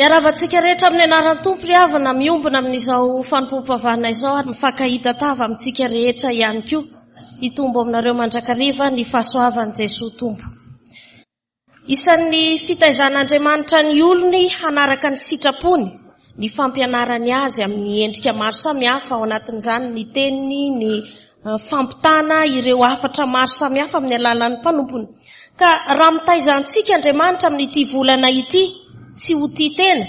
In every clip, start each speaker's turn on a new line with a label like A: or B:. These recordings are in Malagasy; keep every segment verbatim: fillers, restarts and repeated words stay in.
A: Miarahaba antsika rehetra amin'ny anaran'ny Tompo ry havana, miombona amin'izao fanompoam-pivavahana izao ary mifankahita tava amintsika rehetra ihany koa. Hitombo aminareo mandrakariva ny fahasoavan'i Jesoa Tompo. Isan'ny fitaizan'Andriamanitra ny olony hanaraka ny sitrapony, ny fampianarany azy amin'ny endrika maro samihafa, ao anatin'izany ny teniny, ny fampitana ireo hafatra maro samihafa amin'ny alalan'ny mpanompony. Ka raha mitaiza antsika Andriamanitra amin'ity volana ity, tsy ho tia tena,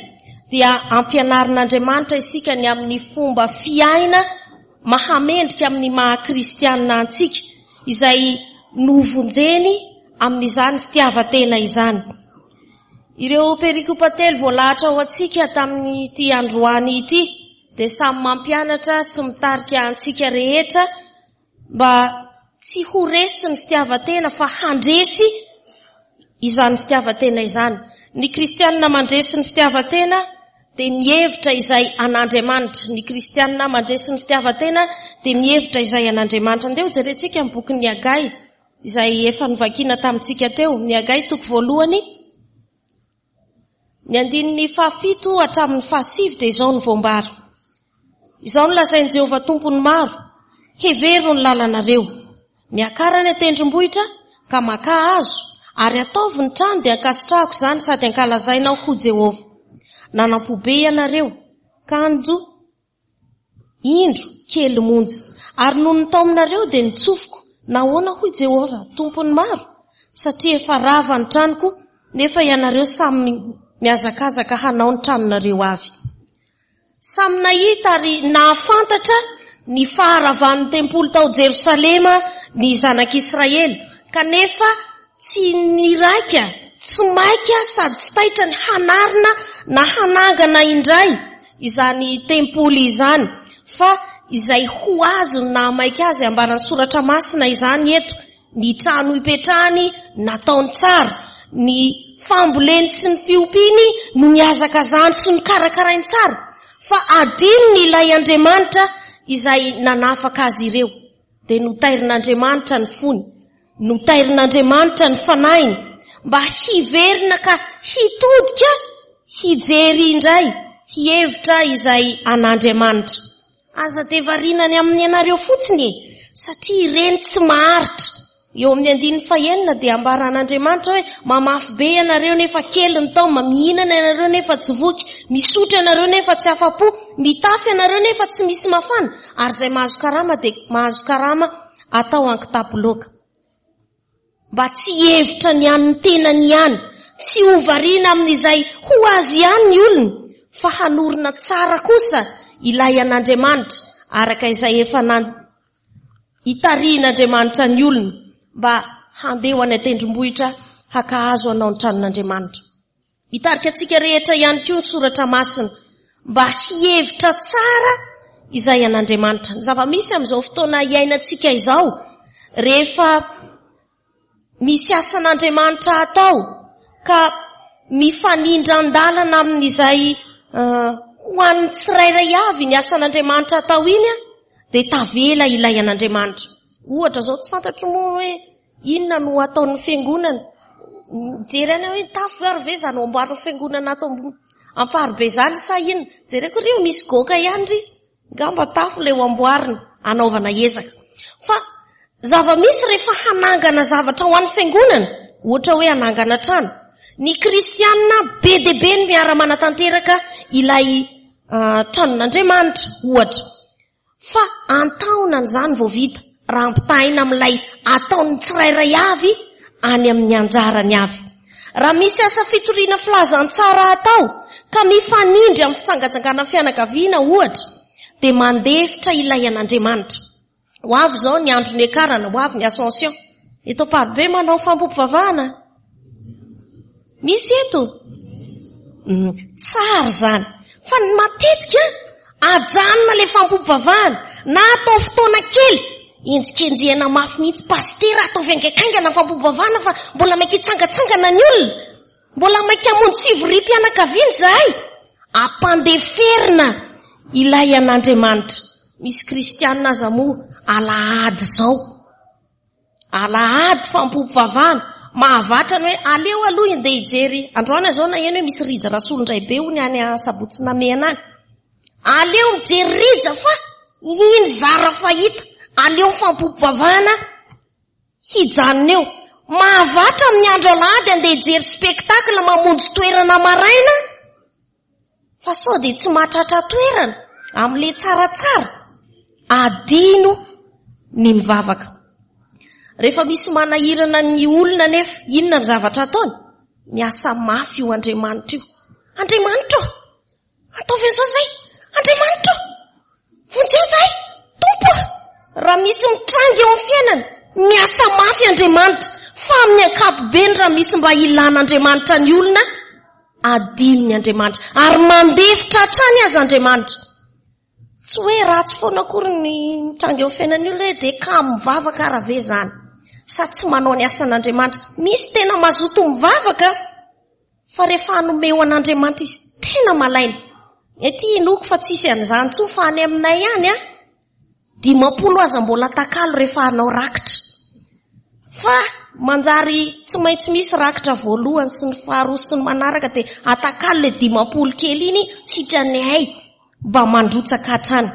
A: dia ampianarin'Andriamanitra isika ny amin'ny fomba fiaina mahamendrika amin'ny maha kristianina antsika, izay novonjeny amin'izany fitiavan-tena izany. Ireo perikopa telo voalahatra ho antsika tamin'ity androany ity dia samy mampianatra sy mitarika antsika rehetra mba tsy ho resy ny fitiavan-tena fa handresy izany fitiavan-tena izany. Ny kristianina mandresy ny fitiavan-tena dia mihevitra izay an'Andriamanitra. Ny kristianina mandresy ny fitiavan-tena dia mihevitra izay an'Andriamanitra. Andeha ho jerentsika ny bokin'ny Hagay izay efa novakiana tamintsika teo. Ny Hagay toko voalohany, ny andininy fahafito hatramin'ny fahasivy dia izao no voambara. Izao no lazain'i Jehovah Tompon'ny maro: hevero ny lalanareo, miakara any an-tendrombohitra ka makà hazo, ary ataovy ny trano dia ankasitrahako izany sady ankalazainao ho Jehovah. Nanampo be ianareo, kanjo indro kely monja, ary noho ny taominareo dia nitsofiko. Nahoana hoy Jehovah Tompon'ny maro? Satria efa rava ny tranoko, nefa ianareo samy mihazakazaka hanao ny tranonareo avy. Samy nahita ary nahafantatra ny faharavan'ny tempoly tao Jerosalema ny zanak'Israely, kanefa tsy niraika, tsy maika sady tsy taitra ny hanarina na hanangana indray izany tempoly izany, fa izay ho azy no nahamaika azy. Ambaran'ny soratra masina izany eto: ny trano hipetrahany nataony tsara, ny famboleny sy ny fiompiany no nihazakazahany sy nokarakarainy tsara, fa adinony ilay Andriamanitra izay nanafaka azy ireo. Dia notairin'Andriamanitra ny fony, notairin'Andriamanitra ny fanahiny mba hiverina ka hitodika hijery indray, hihevitra izay an'Andriamanitra. Aza dia variana ny amin'ny anareo fotsiny e, satria ireny tsy maharitra. Eo amin'ny andininy fahenina dia ambaran'Andriamanitra hoe mamafy be ianareo nefa kely ny taoma, mihinana ianareo nefa tsy voky, misotro ianareo nefa tsy afa-po, mitafy ianareo nefa tsy misy mafana, ary izay mahazo karama dia mahazo karama atao an-kitapo loaka. Mba tsy hihevitra ny an'ny tenany ihany, tsy ho variana amin'izay ho azy ihany ny olona, fa hanorina tsara kosa ilay an'Andriamanitra, araka izay efa hitarihin'Andriamanitra ny olona mba handeha ho any an-tendrombohitra haka hazo hanao ny tranon'Andriamanitra. Hitarika antsika rehetra ihany koa ny soratra masina mba hihevitra tsara izay an'Andriamanitra. Ny zava-misy amin'izao fotoana iainantsika izao, rehefa misy asan'Andriamanitra atao ka mifanindran-dalana amin'izay ho an'ny tsirairay avy ny asan'Andriamanitra atao iny, dia tavela ilay an'Andriamanitra. Ohatra izao, tsy fantatro moa hoe inona no ataon'ny fiangonana. Mijery any hoe tafo ary ve izany amboarin'ny fiangonana ato Amparibe izany sa inona? Jereko ry misy goaka ihany ry, ngamba tafo ilay ho amboarina anaovana ezaka. Fa zava-misy rehefa hanangana zavatra ho an'ny fiangonana, ohatra hoe hanangana trano, ny kristianina be dia be no miara-manatanteraka ilay tranon'Andriamanitra ohatra. Fa antaonany izany vao vita raha ampitahaina amin'ilay ataon'ny tsirairay avy any amin'ny anjarany avy. Raha misy asa fitoriana filazantsara atao ka mifanindry amin'ny fitsangatsanganan'ny fianakaviana ohatra, dia mandefitra ilay an'Andriamanitra. Ho avy izao ny andro niakarana, ho avy ny Ascension. Eto Amparibe manao fampiompivavahana. Misy eto? Tsara izany. Fa ny matetika ajanona ilay fampiompivavahana na atao fotoana kely, enjikenjehana mafy mihitsy, pastera ataovy haingankaingana fampiompivavahana fa mbola maika hitsangatsangana ny olona, mbola maika hamonjy fivoriam-pianakaviana izahay. Ampandeferina ilay an'Andriamanitra. Misy kristianina aza moa alahady izao, alahady fampiompivavahana, mahavatra ny hoe aleo aloha andeha hijery. Androany izao naheno hoe misy Rija Rasolondraibe hono any Sabotsy Namehana any. Aleo mijery Rija fa iny zara fahita. Aleo mifampiompivavahana hijanona eo. Mahavatra amin'ny andro alahady andeha hijery spectacle, mamonjy toerana maraina, fa sao dia tsy mahatratra toerana amin'ilay tsaratsara. Adino ny mivavaka. Rehefa misy manahirana ny olona nefa, inona ny zavatra ataony? Miasa mafy io Andriamanitra io. Andriamanitra ô, ataovy an'izao izay. Andriamanitra ô, vonjeo izahay. Tompo ô, raha misy mitranga eo amin'ny fiainana, miasa mafy Andriamanitra. Fa amin'ny ankapobeny raha misy mba ilan'Andriamanitra ny olona, adinony Andriamanitra. Ary mandefitra hatrany aza Andriamanitra. Tsy hoe ratsy foana akory ny mitranga eo amin'ny fiainan'ny olona hoe dia kamo mivavaka raha ve izany. Sa tsy manao ny asan'Andriamanitra. Misy tena mazoto mivavaka, fa rehefa hanome ho an'Andriamanitra izy tena malaina. Ety inoako fa tsisy an'izany intsony fa any aminay any a, dimampolo aza mbola takalo rehefa hanao rakitra. Fa manjary tsy maintsy misy rakitra voalohany sy ny faharoa sy ny manaraka dia atakalo ilay dimampolo kely iny sitrany hay mba mandrotsaka hatrany.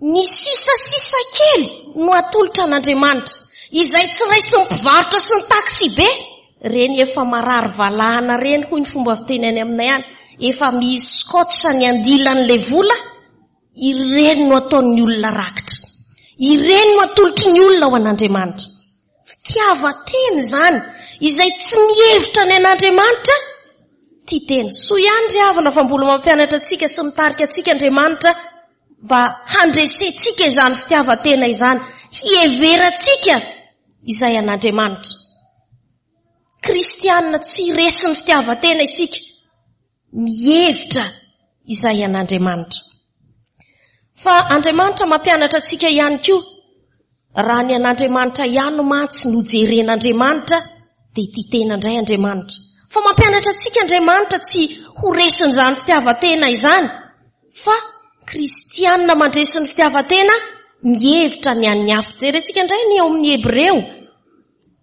A: Ny sisasisa kely no atolotra an'Andriamanitra, izay tsy raisin'ny mpivarotra sy ny taxi be, reny efa marary valahana reny hoy ny fomba fiteny any aminay any, efa misy scotch ny andilan'ilay vola, ireny no ataon'ny olona rakitra. Ireny no atolotry ny olona ho an'Andriamanitra. Fitiavan-tena izany, izay tsy mihevitra ny an'Andriamanitra, tia tena. Soa ihany ry havana fa mbola mampianatra antsika sy mitarika antsika Andriamanitra mba handresentsika izany fitiavan-tena izany, hiheverantsika izay an'Andriamanitra. Kristianina tsy resin'ny fitiavan-tena isika, mihevitra izay an'Andriamanitra. Fa Andriamanitra mampianatra antsika ihany koa, raha ny an'Andriamanitra ihany mantsy no jeren'Andriamanitra, dia tia tena indray Andriamanitra. Fa mampianatra antsika Andriamanitra tsy ho resin'izany fitiavan-tena izany, fa kristianina mandresy ny fitiavan-tena mihevitra ny an'ny hafa. Jerentsika indray ny ao amin'ny Hebreo,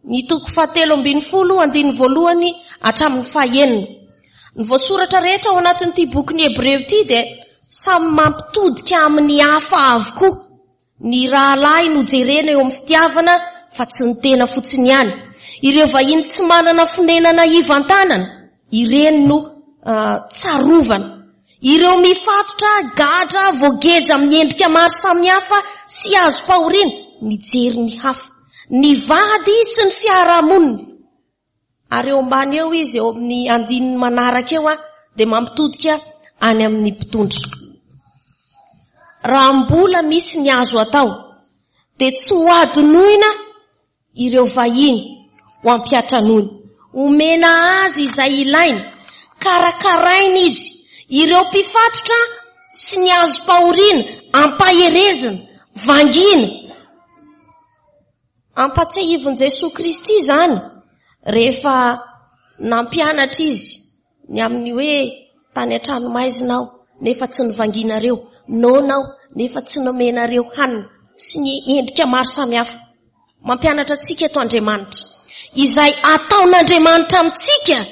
A: ny toko fahatelo ambin'ny folo andininy voalohany hatramin'ny fahenina. Ny voasoratra rehetra ao anatin'ity bokin'ny Hebreo ity dia samy mampitodika amin'ny hafa avokoa. Ny rahalahy no jerena eo amin'ny fitiavana fa tsy ny tena fotsiny ihany. Ireo vahiny tsy manana fonenana ivantanana, ireny no tsarovana. Ireo mifatotra, gadra, voageja amin'ny endrika maro samihafa sy azom-pahoriana, mijery ny hafa. Ny vady sy ny fiarahamonina. Ary eo ambany eo izy, eo amin'ny andininy manaraka eo, dia mampitodika any amin'ny mpitondra. Raha mbola misy ny azo atao, dia tsy ho adinoina ireo vahiny ho ampiatranony. Omena azy izay ilaina, karakaraina izy. Ireo mpifatotra sy ny azom-pahoriana, ampaherezina, vangiana. Ampatsiahivin'i Jesoa Kristy izany rehefa nampianatra izy ny amin'ny hoe tany an-tranomaizina aho nefa tsy nivangianareo, noana aho nefa tsy nomenareo hanina, sy ny endrika maro samihafa. Mampianatra antsika eto Andriamanitra. Izay ataon'Andriamanitra amintsika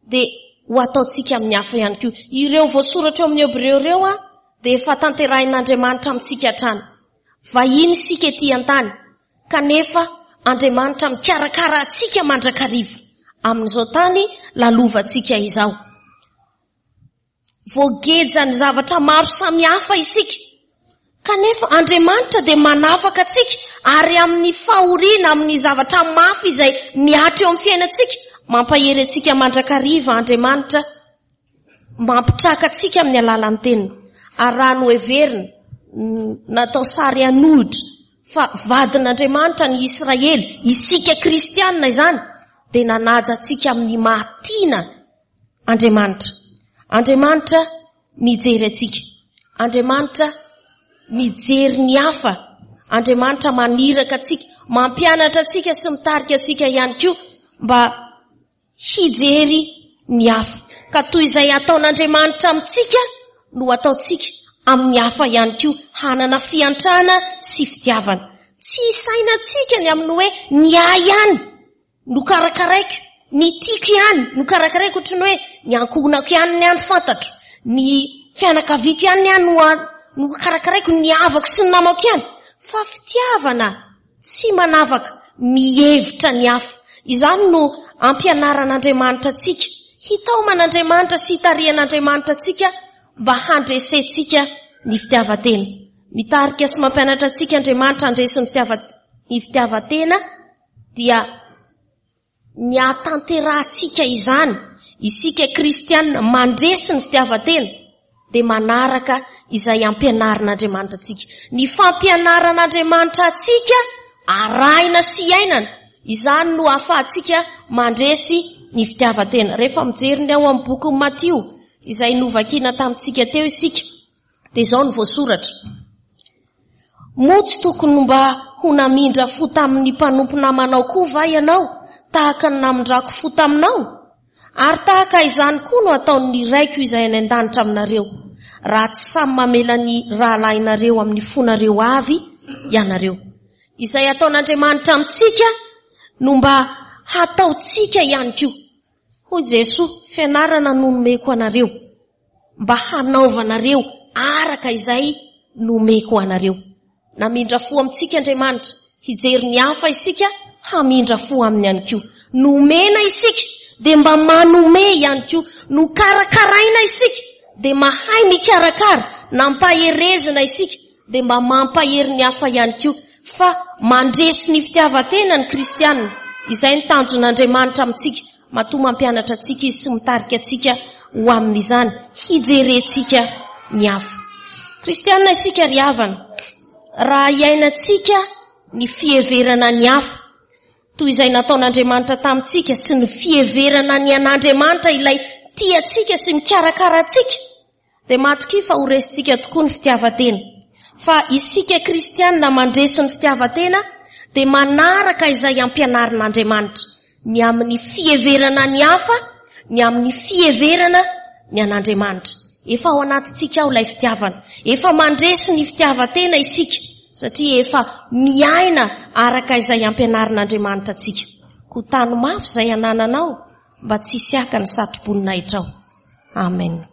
A: dia ho ataontsika amin'ny hafa ihany koa. Ireo voasoratra eo amin'ny Hebreo ireo a dia efa tanterahin'Andriamanitra amintsika hatrany. Vahiny isika ety an-tany, kanefa Andriamanitra mikarakara antsika mandrakariva amin'izao tany lalovantsika izao. Voageja ny zavatra maro samihafa isika, kanefa Andriamanitra dia manafaka antsika ary amin'ny fahoriana, amin'ny zavatra mafy izay mihatra eo amin'ny fiainantsika, mampahery antsika mandrakariva Andriamanitra, mampitraka antsika amin'ny alalan'ny teniny. Ary raha noheverina, natao sary hanohitra fa vadin'Andriamanitra ny Israely, isika kristianina izany, dia nanaja antsika amin'ny mahatiana Andriamanitra. Andriamanitra mijery antsika. Andriamanitra mijery ny hafa. Andriamanitra maniraka antsika, mampianatra antsika sy mitarika antsika ihany koa mba hijery ny hafa. Ka toy izay ataon'Andriamanitra amintsika no ataontsika amin'ny hafa ihany koa, hanana fiantrana sy fitiavana. Tsy isainantsika ny amin'ny hoe ny ahy ihany no karakaraiko, ny tiako ihany no karakaraiko, ohatry ny hoe ny ankohonako ihany ny any fantatro, ny fianakaviako ihany ny any no no karakaraiko, ny havako sy ny namako ihany. Fa fitiavana tsy manavaka, mihevitra ny hafa. Izany no ampianaran'Andriamanitra antsika. Hitaoman'Andriamanitra sy hitarihan'Andriamanitra antsika mba handresentsika ny fitiavan-tena. Mitarika sy mampianatra antsika Andriamanitra handresy ny fitiava- ny fitiavan-tena, dia ny ahatanterahantsika izany, isika kristianina mandresy ny fitiavan-tena, dia manaraka izay ampianarin'Andriamanitra antsika. Ny fampianaran'Andriamanitra antsika arahina sy iainana, izany no ahafahantsika mandresy ny fitiavan-tena. Rehefa mijery ny ao amin'ny bokin'i Matio, izay novakina tamintsika teo isika, dia izao no voasoratra. Moa tsy tokony mba ho namindra fo tamin'ny mpanompo namanao koa va ianao, tahaka ny namindrako fo taminao? Ary tahaka izany koa no ataon'ny Raiko izay any an-danitra aminareo, raha tsy samy mamela ny rahalahinareo amin'ny fonareo avy ianareo. Izay ataon'Andriamanitra amintsika no mba hataontsika ihany koa. Hoy Jesoa, fianarana no nomeko anareo, mba hanaovanareo araka izay nomeko anareo. Namindra fo amintsika Andriamanitra, hijery ny hafa isika, hamindra fo aminy ihany koa. Nomena isika, dia mba manome ihany koa. Nokarakaraina isika, dia mahay mikarakara. Nampaherezina isika, dia mba mampahery ny hafa ihany koa. Fa mandresy ny fitiavan-tena ny kristianina. Izay ny tanjon'Andriamanitra amintsika. Matoa mampianatra antsika izy sy mitarika antsika ho amin'izany, hijerentsika ny hafa. Kristianina isika ry havana, raha iainantsika ny fiheverana ny hafa, toy izay nataon'Andriamanitra tamintsika sy ny fiheverana ny an'Andriamanitra ilay tia antsika sy mikarakara antsika, dia matokia fa ho resintsika tokoa ny fitiavan-tena. Fa isika kristianina mandresy ny fitiavan-tena dia manaraka izay ampianarin'Andriamanitra, ny amin'ny fiheverana ny hafa, ny amin'ny fiheverana ny an'Andriamanitra. Efa ao anatintsika ao ilay fitiavana. Efa mandresy ny fitiavan-tena isika, satria efa miaina araka izay ampianarin'Andriamanitra antsika. Koa tano mafy izay anananao mba tsy hisy haka ny satroboninahitra ao. Amen.